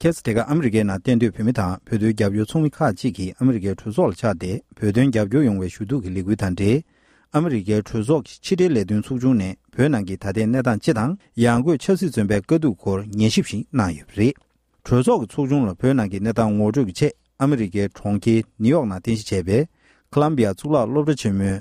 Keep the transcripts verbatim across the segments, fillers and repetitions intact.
ཁ་སང་དེ་ག་ཨ་མི་རི་ཀའི་ནང་གཏན་སྡོད་བོད་མི་དང་བོད་དོན་རྒྱབ་སྐྱོར་ཚོགས་མི་ཁག་ཅིག་གིས་ཨ་མི་རི་ཀའི་གྲོས་ཚོགས་ལ་བཅར་ཏེ་བོད་དོན་རྒྱབ་སྐྱོར་ཡོང་བའི་ཞུ་གཏུག་གི་ལས་འགུལ་དང་འབྲེལ། ཨ་མི་རི་ཀའི་གྲོས་ཚོགས་ཀྱི་ཕྱི་དྲིལ་ལས་དོན་ཚོགས་ཆུང་ནས་བོད་ནང་གི་ད་ལྟའི་གནས་སྟངས་སྤྱི་དང་ཡང་སྒོས་ཆབ་སྲིད་བཙོན་པའི་དཀའ་སྡུག་སྐོར་ཉན་ཞིབ་ཞིག་གནང་ཡོད་པ་རེད། གྲོས་ཚོགས་ཀྱི་ཚོགས་ཆུང་ལ་བོད་ནང་གི་གནས་སྟངས་ངོ་སྤྲོད་ཀྱི་ཆེད་ཨ་མི་རི་ཀའི་གྲོང་ཁྱེར་ནིའུ་ཡོག་ནང་རྟེན་གཞི་བྱས་པའི་ཁོ་ལམ་བི་ཡ་གཙུག་ལག་སློབ་གྲྭ་ཆེན་མོའི་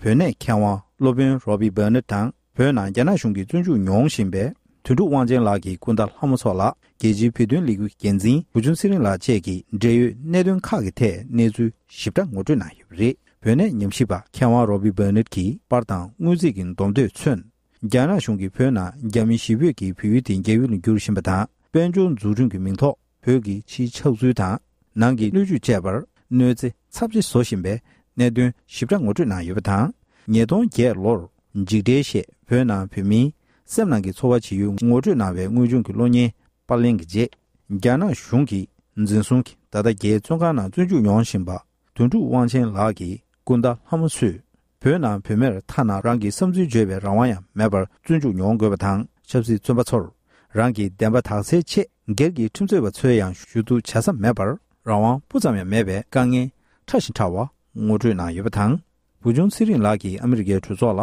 བོད་གནས་མཁས་དབང་སློབ་དཔོན་རོ་བྷི་བྷར་ནེཊ་དང་། བོད་ནང་རྒྱ་ནག་གཞུང་གིས་བཙོན་འཇུག་མྱོང་བཞིན་པའི་དོན་གྲུབ་དབང་ཆེན་ལགས་ཀྱི་སྐུ་ཟླ་ལྷ་མོ་མཚོ་ལགས། རྒྱལ་སྤྱིའི་བོད་དོན་ལས་འགུལ་གྱི་འགན་འཛིན་བུ་ཆུང་ཚེ་རིང་ལགས་བཅས་ཀྱིས་འབྲེལ་ཡོད་གནད་དོན་ཁག་གི་ཐད་གནས་ཚུལ་ཞིབ་ཕྲ་ངོ་སྤྲོད་གནང་ཡོད་པ་རེད། བོད་གནས་ཉམས་ཞིབ་པ་མཁས་དབང་རོ་བྷི་བྷར་ནེཊ་ཀྱིས་པར་དང་དངོས་རྫས་ཀྱི་འདོམས་ཐོས་མཚོན། རྒྱ་ནག་གཞུང་གིས་བོད་ནང་རྒྱ་མི་གཞིས་སྤོས་ཀྱིས་བལ་ཡུལ་དེ་རྒྱ་ཡུལ་ལ་བསྒྱུར་བཞིན་པ་དང་། དཔལ་འབྱོར་འཛུགས་སྐྲུན་གྱི་མིང་ཐོག་བོད་ཀྱི་ཕྱིའི་ཆགས་ཚུལ་དང་། ནང་གི་སྣོད་བཅུད་བཅས་པར་གནོད་འཚེ་ཚབས་ཆེ་བཟོ་བཞིན་པའི་གནད་དོན་ཞིབ་ཕྲ་ངོ་སྤྲོད་གནང་ཡོད་པ་དང་། ཉིས་སྟོང་བརྒྱད་ལོར་འཇིགས་བྲལ་ཞེས་བོད་ནང་བོད་མིའི་སེམས་ནང་གི་ཚོར་བ་ཇི་ཡོད་ངོ་སྤྲོད་གནང་བའི་དངོས་བྱུང་གི་གློག་བརྙན་པར་ལེན་གྱི་རྗེས། རྒྱ་ནག་གཞུང་གིས་འཛིན་བཟུང་གིས་ད་ལྟ་རྒྱའི་བཙོན་ཁང་ནང་བཙོན་འཇུག་མྱོང་བཞིན་པ། དོན་གྲུབ་དབང་ཆེན་ལགས་ཀྱི་སྐུ་ཟླ་ལྷ་མོ་མཚོས། བོད་ནང་བོད་མིར་ཐ་ན་རང་གི་བསམ་ཚུལ་བརྗོད་པའི་རང་དབང་ཡང་མེད་པར་བཙོན་འཇུག་མྱོང་དགོས་པ་དང་། ཆབ་སྲིད་བཙོན་པ་ཚོར་རང་གི་བདེན་པ་དག་སེལ་ཆེད་སྒེར་གྱི་ཁྲིམས་རྩོད་པ་ཚོས་ཡང་ཞུ་གཏུག་བྱ་ས་མེད་པར་རང་དབང་སྤུ་ཙམ་ཡང་མེད་པའི་དཀའ་ངལ་ཕྲ་ཞིང་ཕྲ་བ་ངོ་སྤྲོད་གནང་ཡོད་པ་དང་། བུ་ཆུང་ཚེ་རིང་ལགས་ཀྱིས་ཨ་མི་རི་ཀའི་གྲོས་ཚོགས་ལ་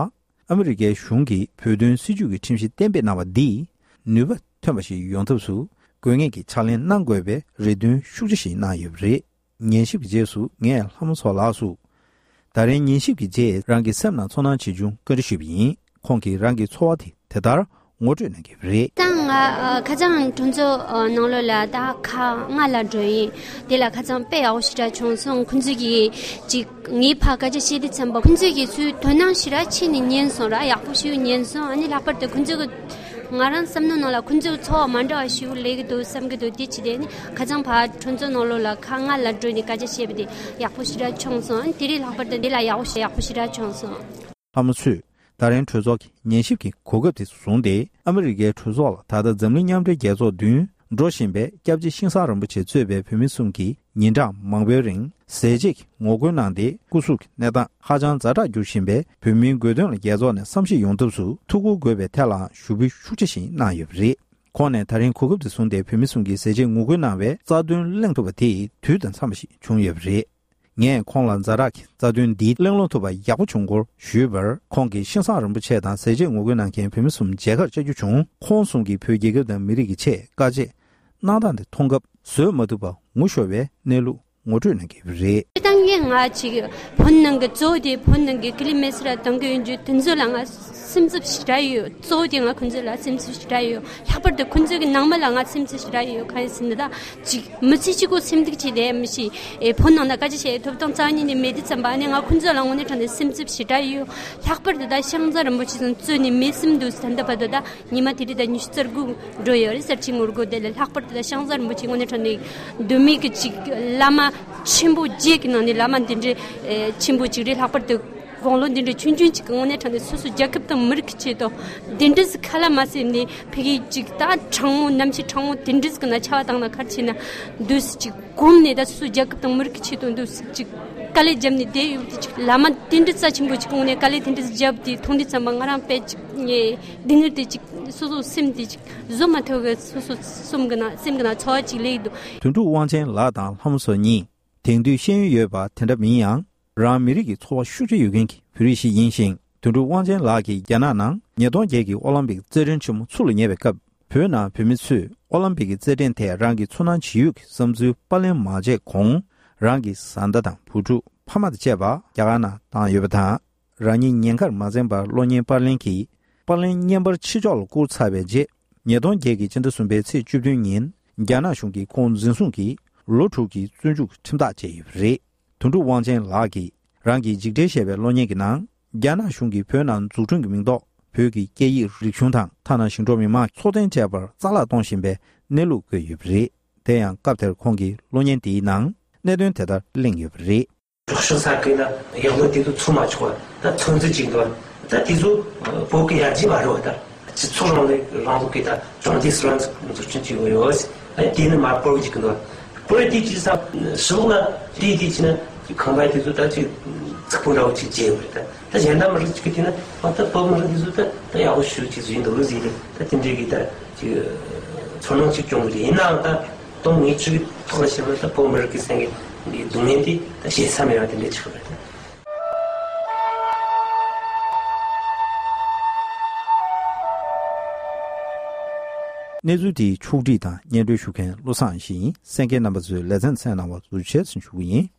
ཨ་མི་རི་ཀའི་གཞུང་གིས་བོད་དོན་སྲིད་བྱུས་ཀྱི་ཁྲིམས་གཞི་གཏན་འབེབས་གནང་བ་འདིས་ནུས་པ་ཐོན་པ་ཞིག་ཡོང་ཐབས་སུ་དགོས་ངེས་ཀྱི་ཕྱག་ལས་གནང་དགོས་པའི་རེ་འདུན་ཤུགས་ཆེ་ཞིག་གནང་ཡོད་པ་རེད། ཉན་ཞིབ་ཀྱི་རྗེས་སུ་ངས་ལྷ་མོ་མཚོ་ལགས་སུ། ད་རིང་ཉན་ཞིབ་ཀྱི་རྗེས་རང་གི་སེམས་ནང་ཚོར་སྣང་ཇི་བྱུང་བཀའ་འདྲི་ཞུས་པ་ཡིན། ཁོང་གིས་རང་གི་ཚོར་བ་དེ་དེ་ལྟར་ངོ་སྤྲོད་གནང་གི་རེད། ད་ང་ཨ་ཁ་སང་གྲོས་ཚོགས་ཨ་ནང་ལོགས་ལ་ད་ཁ་ལྔ་ལ་འགྲོ་ཡིན། དེ་ལ་ཁ་སང་དཔེ་ཡག་པོ་ཞེ་དྲག་བྱུང་སོང་། ཁོང་ཚོས་ཀྱིས་ཅིག་ངའི་ཕར་སྐད་ཆ་བཤད་དུས་ཙམ་པ་ཁོང་ཚོས་ཀྱིས་ཚུར་དོ་སྣང་ཞེ་དྲག་བྱས་ནས་ཉན་སོང་ར། ཡག་པོ་ཞེ་པོ་ཉན་སོང་། ཨ་ནི་ལྷག་པར་དུ་ཁོང་ཚོས་ཀྱི་ང་རང་བསམ་བློ་ནང་ལ་ཁོང་ཚོའི་ཚོར་བ་མ་འདྲ་བ་ཞིག་སླེབས་ཀྱི་འདུག་བསམ་གྱི་འདུག་དེ་ཅི་སྟེ་ནི་ཁ་སང་ཕར་གྲོས་ཚོགས་ནང་ལོགས་ལ་ཁ་ལྔ་ལ་འགྲོ་ནས་སྐད་ཆ་བཤད་པ་དེ་ཡག་པོ་ཞེ་དྲག་བྱུང་སོང་། དེ་རིང་ལྷག་པར་དུ་འདི་ལ་ཡག་པོ་ཞེ་ཡག་པོ་ཞེ་དྲག་བྱུང་སོང་། ལྷ་མོ་མཚོས་ད་རིང་གྲོས་ཚོགས་ཀྱི་ཉན་ཞིབ་ཀྱི་གོ་སྐབས་དེ་བཟུང་སྟེ་ཨ་མི་རི་ཀའི་གྲོས་ཚོགས་ལ་ད་ལྟ་འཛམ་གླིང་མཉམ་འབྲེལ་རྒྱལ་ཚོགས་མདུན་འགྲོ་བཞིན་པའི་སྐྱབས་རྗེ་ཤིང་བཟའ་རིན་པོ་ཆེ་གཙོས་པའི་བོད་མི་གསུམ་གྱིས་ཉིན་གྲངས་མང་པོའི་རིང་ཟས་བཅད་ཀྱི་ངོ་རྒོལ་གནང་སྟེ་སྐུ་གཟུགས་ཀྱི་གནས་སྟངས་ཧ་ཅང་ཛ་དྲག་འགྱུར་བཞིན་པའི་བོད་མིའི་དགོས་དོན་ལ་རྒྱལ་ཚོགས་ནས་བསམ་ཤེས་ཡོང་ཐབས་སུ་ཐུགས་ཁུར་དགོས་པའི་ཐད་ལའང་ཞུ་འབོད་ཤུགས་ཆེ་ཞིག་གནང་ཡོད་པ་རེད། ཁོང་ནས་ད་རིང་གོ་སྐབས་དེ་བཟུང་སྟེ་བོད་མི་གསུམ་གྱིས་ཟས་བཅད་ངོ་རྒོལ་གནང་བའི་རྩ་དོན་གླེང་ཐུབ་པ་དེ་དུས་དང་འཚམས་པ་ཞིག་བྱུང་ཡོད་པ་རེད། ངས་ཁོང་ལ་ཛ་དྲག་གི་རྩ་དོན་འདི་གླེང་སློང་ཐུབ་པ་ཡག་པོ་བྱུང་སྐོར་ཞུས་པར། ཁོང་གིས་ཤིང་བཟའ་རིན་པོ་ཆེ་དང་ཟས་བཅད་ངོ་རྒོལ་གནང་མཁན་བོད་མི་གསུམ་མཇལ་ཁར་བཅར་རྒྱུ་བྱུང་། ཁོང་གསུམ་གྱིས་བོད་རྒྱལ་ཁབ་དང་མི་རིགས་ཀྱི་ཆེད་དཀའ་སྤྱད་གནང་སྟངས་དེ་མཐོང་སྐབས་བཟོད་མ་ཐུབ་པ་ངུ་ཤོར་བའི་གནས་ལུགས་ངོ་སྤྲོད་གནང་གི་རེད། ད་ངས་ང་ཅིག་བོད་ནང་གི་གཙོ་བོ་དེ་བོད་ནང་གི་ཀི་ལི་མེ་སི་ར་གཏོང་གི་ཡོད་རྒྱུ་དེ་ཚོ་ལ་ང་སེམས་འཚབ་ཞེ་དྲག་ཡོད། གཙོ་བོ་དེ་ང་ཁོང་ཚོ་ལ་སེམས་འཚབ་ཞེ་དྲག་ཡོད། ལྷག་པར་དུ་ཁོང་ཚོ་གི་ནང་མི་ལ་ང་སེམས་འཚབ་ཞེ་དྲག་ཡོད། གང་ཡིན་ཟེར་ན་ད་ཅིག་མི་ཚེ་གཅིག་པོ་སེམས་སྡུག་བྱས་ཏེ་མི་ཤེས། ཨེ་བོད་ནང་ན་སྐད་ཆ་བཤད་ཐོབ་ཐང་རྩ་བ་ཉིད་ནས་མེད་དུས་ཙམ་པ་ནས་ང་ཁོང་ཚོ་ལ་དངོས་གནས་དྲང་གནས་སེམས་འཚབ་ཞེ་དྲག་ཡོད། ལྷག་པར་དུ་ད་ཤིང་བཟའ་རིན་པོ་ཆེ་ཚོ་གཙོས་ནས་མི་སེམས་འདུག་ཟེར་ད་ལྟ་བར་དུ་ད། ཉི་མ་དེ་རིང་ད་ཉི་ཤུ་རྩ་དགུ་འགྲོ་ཡོད་རེད། གསར་བརྗེ་ངོ་རྒོལ་དེ་ལ་ལྷག་པར་དུ་ད་ཤིང་བཟའ་རིན་པོ་ཆེ་དངོས་གནས་དྲང་གནས་གདོད་མའི་གི་ཅིག་བླ་མ་ཆེན་པོ་བརྒྱད་ཀྱི་ནང་ནས་བླ་མ་འདི་འདྲའི་ཨེ་ཆེན་པོ་ཅིག་རེད། ལྷག་པར་དུ་དགུང་ལོ་འདི་འདྲའི་ཆུང་ཆུང་ཅིག་གི་དངོས་གནས་དྲང་གནས་སོ་སོ་རྒྱལ་ཁབ་དང་མི་རིགས་ཀྱི་ཆེད་དུ་འདི་འདྲ་ཟིག་ཁ་ལ་མ་ཟེར་ནས་ཕ་གི་ཅིག་ད་དྲང་མོ་ནམ་ཞིག་དྲང་མོ་དེ་འདྲ་ཟིག་གི་ན་ཆ་བ་བཏང་ན་ག་རེ་བྱས་ན་འདུག་སེ་ཅིག་གོམས་ནས་ད་སོ་སོ་རྒྱལ་ཁབ་དང་མི་རིགས་ཀྱི་ཆེད་དུ་འདུག་སེ་ཅིག་དཀའ་ལས་བརྒྱབ་ནས་བསྡད་ཡོད་དེ་ཅིག་བླ་མ་དེ་འདྲ་རྩ་ཆེན་པོ་ཅིག་གི་དངོས་གནས་དཀའ་ལས་དེ་འདྲ་ཟིག་བརྒྱབ་དེ་མཐོང་དུས་ཙམ་པ་ང་རང་དཔེ་ཅིག་ངས་སྡུག་བསྔལ་དེ་ཅིག་སོ་སོ་སེམས་དེ་ཅིག་བཟོད་མ་ཐུབ་པའི་སོ་སོ་སེམས་ཀྱི་ནང་སེམས་ཀྱི་ནང་ཚོར་བ་ཅིག་སླེབས་ཀྱི་འདུག་དོན་གྲུབ་དབང་ཆེན་ལགས་དང་ལྷ་མོ་མཚོ་གཉིས་དེང་དུས་ཤེས་ཡོན་ཡོད་པ་དེ་འདྲ་མིན་ཡང་། རང་མི་རིགས་ཀྱི་ཚོར་བ་ཤུགས་ཆེ་ཡོད་མཁན་གྱི་བོད་རིགས་ཤིག་ཡིན་ཞིང་། དོན་གྲུབ་དབང་ཆེན་ལགས་ཀྱིས་རྒྱ་ནག་ནང་ཉིས་སྟོང་བརྒྱད་ཀྱི་ཨོ་ལམ་པིག་རྩེད་འགྲན་ཆེན་མོ་ཚུར་ལ་ཉེ་བའི་སྐབས། བོད་ནང་བོད་མི་ཚོས་ཨོ་ལམ་པིག་གི་རྩེད་འགྲན་ཐད་རང་གི་ཚོར་སྣང་ཇི་ཡོད་ཀྱི་བསམ་ཚུལ་པར་ལེན་མ་བྱས་གོང་། རང་གི་བཟའ་ཟླ་དང་བུ་ཕྲུག་ཕ་མ་དང་བཅས་པ་རྒྱ་གར་ནང་བཏང་ཡོད་པ་དང་། རང་ཉིད་ཉེན་ཁར་མ་འཛེམས་པར་གློག་བརྙན་པར་ལེན་གྱིས་པར་ལེན་བརྙན་པར་ཕྱི་ཕྱོགས་ལ་བསྐུར་ཚར་བའི་རྗེས། ཉིས་སྟོང་བརྒྱད་ཀྱི་སྤྱི་ཟླ་གསུམ་པའི་ཚེས་བཅུ་བདུན་ཉིན་རྒྱ་ནག་གཞུང་གིས་ཁོང་འཛིན་བཟུང་གིས་ལོ་དྲུག་གི་བཙོན་འཇུག་ཁྲིམས་ཐག་བཅད་ཡོད་པ་རེད། དོན་གྲུབ་དབང་ཆེན་ལགས་ཀྱིས་རང་གི་འཇིགས་བྲལ་ཞེས་པའི་གློག་བརྙན་གྱི་ནང་། རྒྱ་ནག་གཞུང་གིས་བོད་ནང་འཛུགས་སྐྲུན་གྱི་མིང་ཐོག་བོད་ཀྱི་སྐད་ཡིག་རིག་གཞུང་དང་ཐ་ན་ཞིང་འབྲོག་མི་མང་གི་འཚོ་རྟེན་བཅས་པར་རྩ་བརླག་གཏོང་བཞིན་པའི་གནས་ལུགས་བཀོད་ཡོད་པ་རེད། དེ་ཡང་སྐབས་དེར་ཁོང་གིས་གློག་བརྙན་དེའི་ནང་གནད་དོན་དེ་ལྟར་གླེང་ཡོད་པ་རེད། སྲོག་ཤིང་ས་ཁུལ་ན་ཡག་ལོ་དེ་ཚོ་ཚུགས་མ་ཆོག་པ་ད་ཚོད་འཛིན་བྱེད་འདུག་ད་དེ་ཚོ་བོད་ཀྱི་ཡར་རྒྱས་མ་རེད་བ། ད་སྤྱི་ཚོགས་རིང་ལུགས་རིང་ལུགས་ཀྱི་ད་གྲོང་སྡེ་སུ་རང་འཛུགས་སྐྲུན་བྱེད་དགོས་ཡོད། ཨ་དེ་ནི་མ་སྤོར་གྱི་འདུག་སྤོར་དེ་ཅི་ས་ཞི་ལུགས་ན་དེ་དེ་ཅི་ན་ཁང་པ་དེ་ཚོ་ད་ཅིག་ཚིག་པོ་འདྲ་བོ་ཅིག་བྱས་ཡོད་རེད། ད་ད་གཞན་དག་མི་རིགས་ཅིག་གི་དེ་ན་ཨ་ད་བོད་མི་རིགས་དེ་ཚོ་ད་ད་ཡག་པོ་ཞུ་ཅིག་བཟོས་འདུག་ཟེར་ཏེ་ད་དེ་འདྲའི་གི་ད་ཅིག་ཚོར་སྣང་ཅིག་བྱུང་གི་རེད། ཡིན་ནའང་ད། སྟོང་ཉིད་བཅུ་གི་ཐོག་ལ་བཤད་ན་ད་བོད་མི་རིགས་ཀྱི་སེམས་ཀྱི་སྡུག་བསྔལ་འདི་ད་བཤད་ས་མེད་པ་དེ་འདྲ་ཆགས་པ་རེད། གནས་ཚུལ་འདིའི་ཕྱོགས་སྒྲིག་དང་སྙན་སྒྲོན་ཞུ་མཁན་བློ་བཟང་ཡེ་ཤེས་ཡིན། གསན་མཁན་རྣམ་པ་ཚོས་ལེ་ཚན་གསན་གནང་བར་ཐུགས་རྗེ་ཆེ་ཞུ་གི་ཡིན།